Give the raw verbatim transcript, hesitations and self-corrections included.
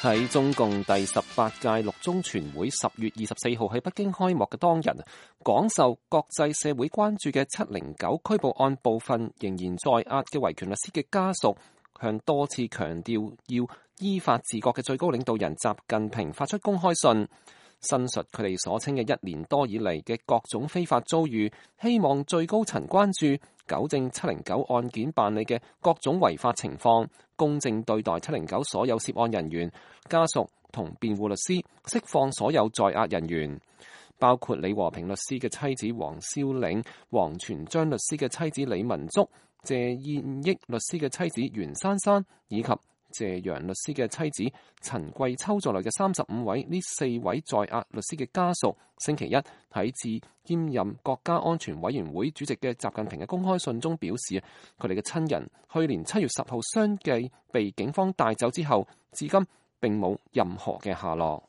喺中共第十八屆六中全會十月二十四號喺北京開幕嘅當日，廣受國際社會關注嘅七零九拘捕案部分仍然在押嘅維權律師嘅家屬，向多次強調要依法治國嘅最高領導人習近平發出公開信，申述佢哋所稱嘅一年多以嚟嘅各種非法遭遇，希望最高層關注糾正七零九案件辦理嘅各種違法情況，公正對待七零九所有涉案人員、家屬同辯護律師，釋放所有在押人員，包括李和平律師嘅妻子黃蕭嶺、王全璋律師嘅妻子李文足、謝燕益律師嘅妻子袁珊珊以及謝陽律師嘅妻子陳桂秋在內嘅三十五位呢四位在押律師嘅家屬，星期一喺致兼任國家安全委員會主席嘅習近平嘅公開信中表示，佢哋嘅親人去年七月十號相繼被警方帶走之後，至今並冇任何嘅下落。